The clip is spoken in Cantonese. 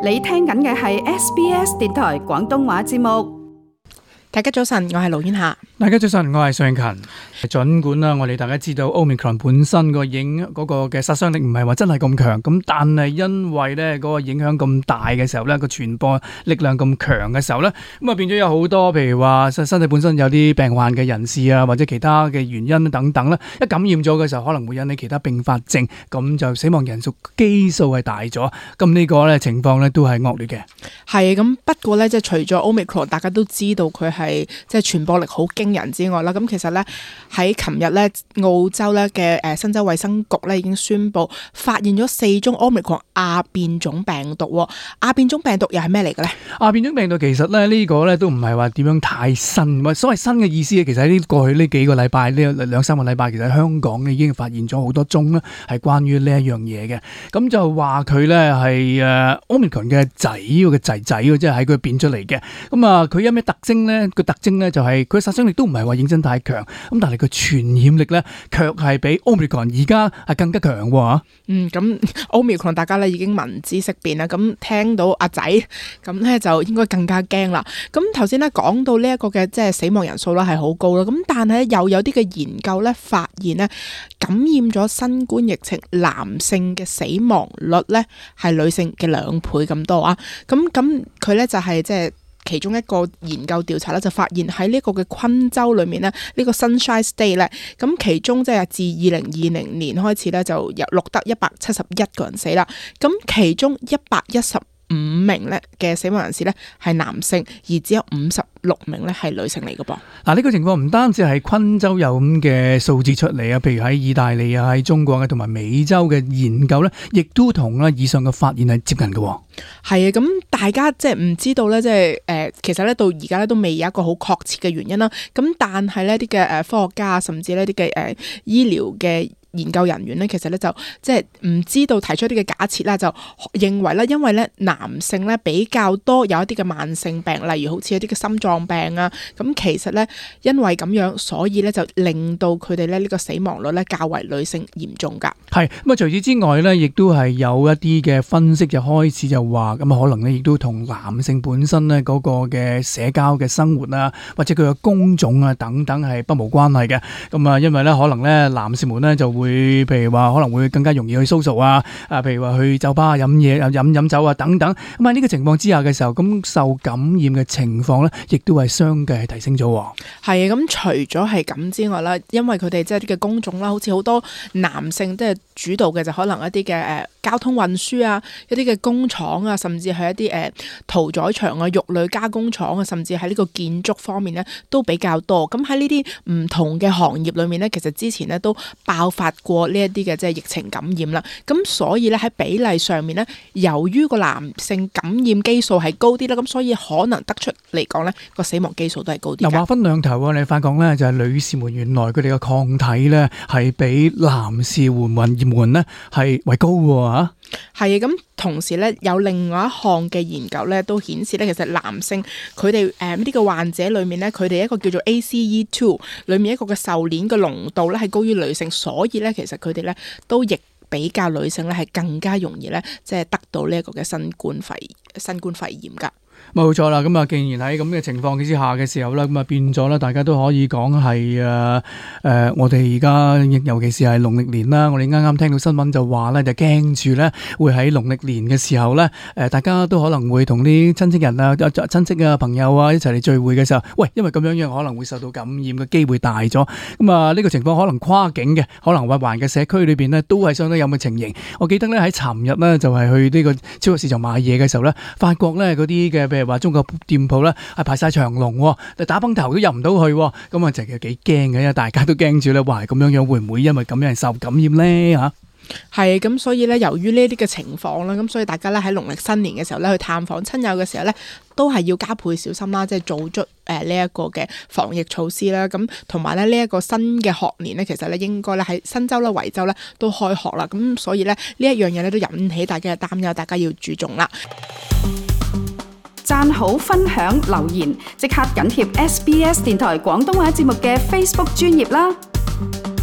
你聽緊嘅係 SBS 電台廣東話節目。大家早晨，我係盧婉霞。大家早晨，我係尚勤。儘管啦，我哋大家知道 Omicron 本身個嘅殺傷力唔係話真係咁強，咁但係因為咧嗰個影響咁大嘅時候咧，個傳播力量咁強嘅時候咧，咁啊變咗有好多譬如話身體本身有啲病患嘅人士啊，或者其他嘅原因等等啦，一感染咗嘅時候可能會引起其他併發症，咁就死亡人數基數係大咗，咁呢個咧情況咧都係惡劣嘅。係咁，不過咧即係除咗 Omicron， 大家都知道佢係即係傳播力好驚人之外啦，咁其實咧喺琴日咧澳洲咧嘅新州衛生局咧已經宣布發現咗4宗 Omicron 亞變種病毒。亞變種病毒又係咩嚟嘅咧？亞變種病毒其實咧呢個咧都唔係話點樣太新，所謂新嘅意思其實喺過去呢幾個禮拜呢2-3個禮拜，其實喺香港已經發現咗好多宗咧係關於呢一樣嘢嘅。咁就話佢咧係Omicron 嘅仔即係喺佢變出嚟嘅。咁啊佢有咩特徵咧？個特徵咧就係佢殺傷力都唔係話認真太強，咁但係佢傳染力咧卻係比 Omicron 而家係更加強喎。咁 Omicron 大家咧已經聞之色變啦，咁聽到阿仔咁咧就應該更加驚啦。咁頭先咧講到呢一個嘅即係死亡人數啦係好高啦，咁但係又有啲嘅研究咧發現咧感染咗新冠疫情男性嘅死亡率咧係女性嘅2倍咁多啊。咁佢咧就係即係其中一個研究調查咧，就發現喺呢個嘅昆州裏面咧，呢個 Sunshine State 咧，咁其中即係自2020年開始咧，就錄得171個人死啦。咁其中115名咧嘅死亡人士咧係男性，而只有56名咧係女性嚟嘅噃。嗱，呢個情況唔單止係昆州有咁嘅數字出嚟啊，譬如喺意大利啊、喺中國嘅同埋美洲嘅研究咧，亦都同以上嘅發現係接近嘅。係啊，咁大家即係唔知道咧，即係其實咧到而家咧都未有一個好確切嘅原因啦。咁但係呢啲嘅科學家甚至呢啲嘅醫療嘅研究人員咧，其實咧就即係唔知道提出一啲嘅假設啦，就認為咧，因為咧男性咧比較多有一啲嘅慢性病，例如好似一啲嘅心臟病啊，咁其實咧因為咁樣，所以咧就令到佢哋咧呢個死亡率咧較為女性嚴重㗎。係咁啊！除此之外咧，亦都係有一啲嘅分析就開始就話咁可能咧亦都同男性本身咧嗰個嘅社交嘅生活啊，或者佢嘅工種啊等等係不無關係嘅。咁啊，因為咧可能咧男士們咧就會譬如話可能會更加容易去 social 啊，譬如話去酒吧飲嘢、飲酒啊等等。咁喺呢個情況之下嘅時候，咁受感染嘅情況咧，亦都係相繼係提升咗。係啊，咁除咗係咁之外啦，因為佢哋即係啲嘅工種啦，好似好多男性即係主導嘅就可能一啲嘅交通運輸啊，一啲嘅工廠啊，甚至係一啲屠宰場啊、肉類加工廠啊，甚至喺呢個建築方面咧都比較多。咁喺呢啲唔同嘅行業裏面咧，其實之前咧都爆發過呢一啲嘅即係疫情感染啦。咁所以咧喺比例上面咧，由於個男性感染基數係高啲啦，咁所以可能得出嚟講咧個死亡基數都係高啲。嗱，話分兩頭啊，你發覺咧就係女士們原來佢哋嘅抗體咧係比男士們咧係為高喎嚇。係啊，咁同時咧有另外一項嘅研究咧都顯示咧，其實男性佢哋呢個患者裏面咧，佢哋一個叫做 ACE2 裏面一個嘅受鏈嘅濃度咧係高於女性，所以咧其實佢哋咧都亦比較女性咧係更加容易咧即係得到呢一個嘅新冠肺炎㗎。冇錯啦，咁啊，既然喺咁嘅情況之下嘅時候咧，咁啊變咗咧，大家都可以講係我哋而家尤其是係農曆年啦，我哋啱啱聽到新聞就話咧，就驚住咧會喺農曆年嘅時候咧，大家都可能會同啲親戚人啊、親戚啊、朋友啊一齊嚟聚會嘅時候，喂，因為咁樣可能會受到感染嘅機會大咗，咁啊呢個情況可能跨境嘅，可能環嘅社區裏邊咧都係相當有咁嘅情形。我記得咧喺尋日咧就係去呢個超級市場買嘢嘅時候咧，發覺咧嗰啲嘅譬如話中國店鋪咧係排晒長龍，但打崩頭都入唔到去，咁啊就係幾驚嘅，大家都驚住咧，哇咁樣會唔會因為咁樣受感染咧嚇？係咁，所以咧由於呢啲嘅情況啦，咁所以大家咧喺農曆新年嘅時候咧去探訪親友嘅時候咧，都係要加倍小心啦，即係做足呢一個嘅防疫措施啦。咁同埋咧呢一個新嘅學年咧，其實咧應該咧喺新州啦、維州咧都開學啦。咁所以咧呢一樣嘢咧都引起大家嘅擔憂，大家要注重啦。讚好、分享、留言，即刻緊貼SBS 電台廣東話節目嘅 Facebook 專頁啦！